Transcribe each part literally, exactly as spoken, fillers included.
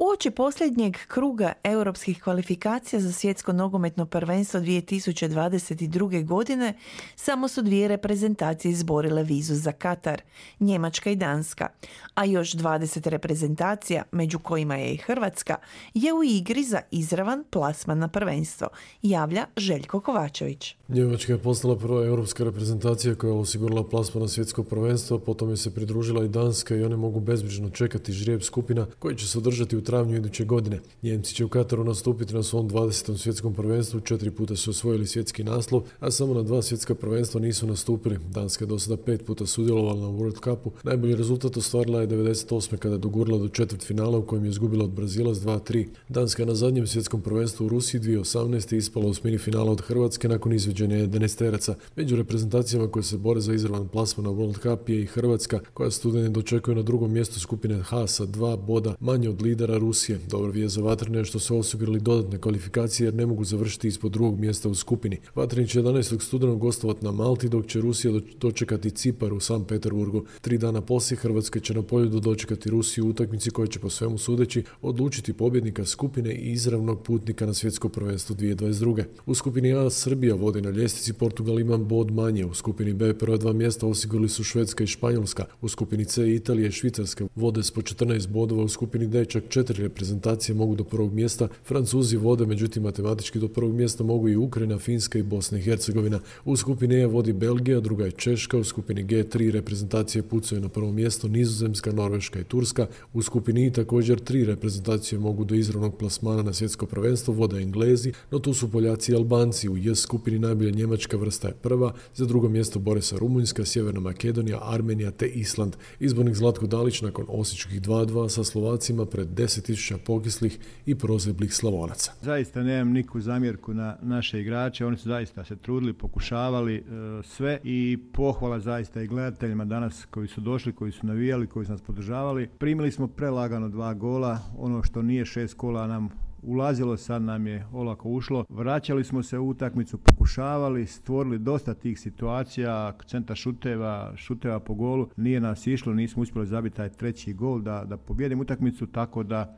Uoči posljednjeg kruga europskih kvalifikacija za svjetsko nogometno prvenstvo dvije tisuće dvadeset druge. godine samo su dvije reprezentacije izborile vizu za Katar, Njemačka i Danska, a još dvadeset reprezentacija, među kojima je i Hrvatska, je u igri za izravan plasman na prvenstvo, javlja Željko Kovačević. Njemačka je postala prva europska reprezentacija koja je osigurala plasman na svjetsko prvenstvo, potom je se pridružila i Danska i one mogu bezbrižno čekati žrijeb skupina koji će se održati u travnju iduće godine. Njemci će u Kataru nastupiti na svom dvadesetom svjetskom prvenstvu, četiri puta su osvojili svjetski naslov, a samo na dva svjetska prvenstva nisu nastupili. Danska je do sada pet puta sudjelovala na World Cupu. Najbolji rezultat ostvarila je devedeset osme kada je dogurala do četvrtfinala u kojem je izgubila od Brazila s dva tri. Danska je na zadnjem svjetskom prvenstvu u Rusiji dvije tisuće osamnaeste. ispala u semifinala od Hrvatske nakon izvođenja jedanaesteraca. Među reprezentacijama koje se bore za izravan plasman na World Cup je i Hrvatska, koja studene dočekuje na drugom mjestu skupine H sa dva boda manje od lidera Rusije. Dobra vijest za vatrene je što su osigurali dodatne kvalifikacije jer ne mogu završiti ispod drugog mjesta u skupini. Vatreni će jedanaestog studenog gostovati na Malti, dok će Rusija dočekati Cipar u Sankt Peterburgu. Tri dana poslije Hrvatska će na Poljudu dočekati Rusiju u utakmici koja će po svemu sudeći odlučiti pobjednika skupine i izravnog putnika na svjetsko prvenstvo dvije tisuće dvadeset druge. U skupini A Srbija vodi na ljestvici, Portugal ima bod manje. U skupini B prva dva mjesta osigurali su Švedska i Španjolska. U skupini C Italija i Švicarska vode s po četrnaest bodova. U skupini D čak četiri reprezentacije mogu do prvog mjesta. Francuzi vode, međutim matematički do prvog mjesta mogu i Ukrajina, Finska i Bosna i Hercegovina. U skupini E vodi Belgija, druga je Češka. U skupini G tri reprezentacije pucaju na prvo mjesto, Nizozemska, Norveška i Turska. U skupini I također tri reprezentacije mogu do izravnog plasmana na svjetsko prvenstvo, vode Englezi, no tu su Poljaci i Albanci. U J skupini najbolja Njemačka vrsta je prva, za drugo mjesto bore se Rumunjska, Sjeverna Makedonija, Armenija te Island. Izbornik Zlatko Dalić nakon osječkih dva dva sa Slovacima pred deset tisuća pokislih i prozeblih Slavonaca. Zaista nemam nikakvu zamjerku na naše igrače, oni su zaista se trudili, pokušavali e, sve i pohvala zaista i gledateljima danas koji su došli, koji su navijali, koji su nas podržavali. Primili smo prelagano dva gola, ono što nije šest kola nam ulazilo, sad nam je olako ušlo. Vraćali smo se u utakmicu, pokušavali, stvorili dosta tih situacija, centar šuteva, šuteva po golu. Nije nas išlo, nismo uspjeli zabiti taj treći gol da, da pobjedimo utakmicu, tako da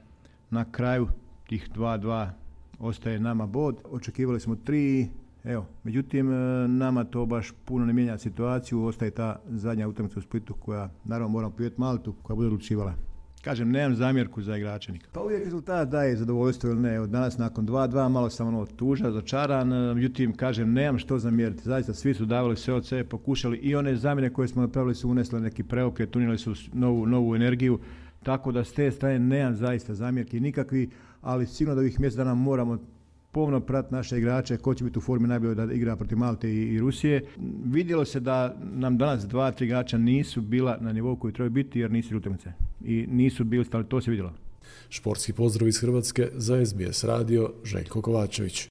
na kraju tih dva dva ostaje nama bod. Očekivali smo tri, evo, međutim nama to baš puno ne mijenja situaciju, ostaje ta zadnja utakmica u Splitu koja, naravno moramo pobjediti Maltu, koja bude odlučivala. Kažem, nemam zamjerku za igrače nikad. Pa uvijek rezultat daje zadovoljstvo ili ne. Od danas nakon dva dva malo sam ono tužan, začaran, međutim, kažem, nemam što zamjeriti. Zaista svi su davali sve od sebe, pokušali i one zamjene koje smo napravili su unesle neki preokret, unijeli su novu, novu energiju, tako da s te strane nemam zaista zamjerki nikakvi, ali sigurno da ovih mjesec dana moramo pomno pratiti naše igrače, ko će biti u formi najbolje da igra protiv Malte i, i Rusije. Vidjelo se da nam danas dva, tri igrača nisu bila na nivou koji trebaju biti jer nisu utakmice. I nisu bili, ali to se vidjelo. Športski pozdrav iz Hrvatske za S B S radio, Željko Kovačević.